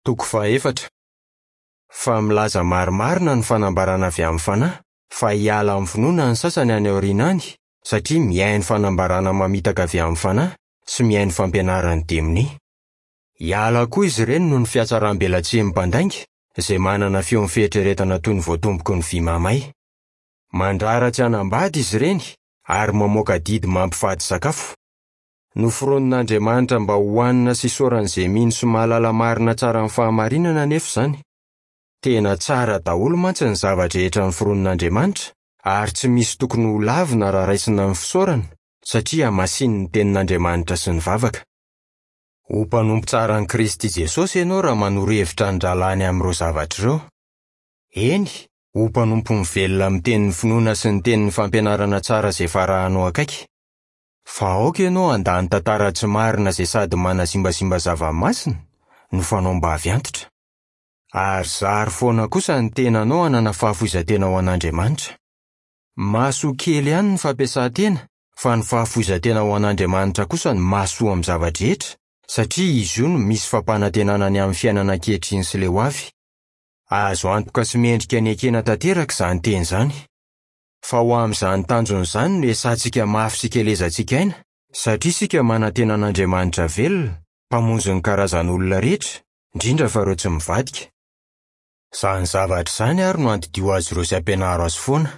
Toko fahaefatra. Fa milaza marimarina ny fanambarana avy amin'ny Fanahy fa hiala amin'ny finoana ny sasany any aoriana any satria mihaino fanambarana mamitaka avy amin'ny Fanahy sy mihaino fampianaran'ny demonia. Hiala koa izy ireny noho ny fihatsaram-belatsihin'ny mpandainga izay manana feon'ny fieritreretana toy ny voatomboky ny vy mahamay. Mandrara tsy hanambady izy ireny ary mamoaka didy mampifady sakafo. Noforonin'Andriamanitra mba hohanina sy isaoran'izay mino sy mahalala marina tsara ny fahamarinana anefa izany. Tena tsara daholo mantsy ny zava-drehetra noforonin'Andriamanitra, ary tsy misy tokony holavina raha raisina ny fisaorana, satria hamasinin'ny Tenin'Andriamanitra sy ny vavaka. Ho mpanompo tsaran'i Kristy Jesosy ianao raha manoro hevitra ny rahalahiny amin'ireo zavatra ireo. Eny, ho mpanompo mivelona amin'ny tenin'ny finoana sy ny tenin'ny fampianarana tsara izay efa arahanao akaiky. Fa aoka ianao handà ny tantara tsy marina izay sady manazimbazimba zava-masina no fanaom-bavy antitra. Ary zaro foana kosa ny tenanao hanana fahafoizan-tena ho an'Andriamanitra. Mahasoa kely ihany ny fampiasan-tena, fa ny fahafoizan-tena ho an'Andriamanitra kosa no mahasoa amin'ny zava-drehetra, satria izy io no misy fampanantenana ny amin'ny fiainana ankehitriny sy ilay ho avy. Azo antoka sy mendrika ny ekena tanteraka izany teny izany. Fa ho amin'izany tanjona izany no iasantsika mafy sy ikelezantsika aina, satria isika manantena an'Andriamanitra velona, Mpamonjy ny karazan'olona rehetra, indrindra fa ireo tsy mivadika. Izany zavatra izany àry no andidio azy ireo sy ampianaro azy foana.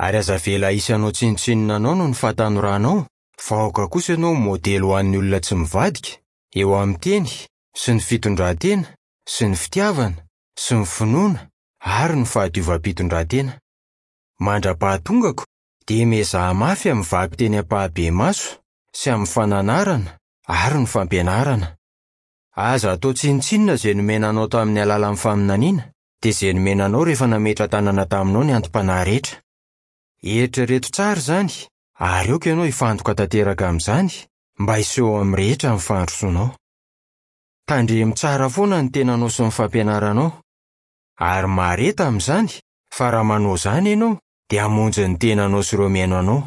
Ary aza avela hisy hanao tsinontsinona anao noho ny fahatanoranao, fa aoka kosa ianao ho modely ho an'ny olona tsy mivadika, eo amin'ny teny, sy ny fitondran-tena, sy ny fitiavana, sy ny finoana, ary ny fahadiovam-pitondrantena. Mandra-pahatongako, dia miezaha mafy amin'ny vakiteny ampahabemaso sy amin'ny fananarana ary ny fampianarana. Aza atao tsinontsinona izay nomena anao tamin'ny alalan'ny faminaniana, dia izay nomena anao rehefa nametra-tanana taminao ny antom-panahy rehetra. Eritrereto tsara izany, ary aoka ianao hifantoka tanteraka amin'izany, mba hiseho amin'ny rehetra ny fandrosoanao. Tandremo tsara foana ny tenanao sy ny fampianaranao. Ary mahareta amin'izany, fa raha manao izany ianao, dia hamonjy ny tenanao sy ireo mihaino anao.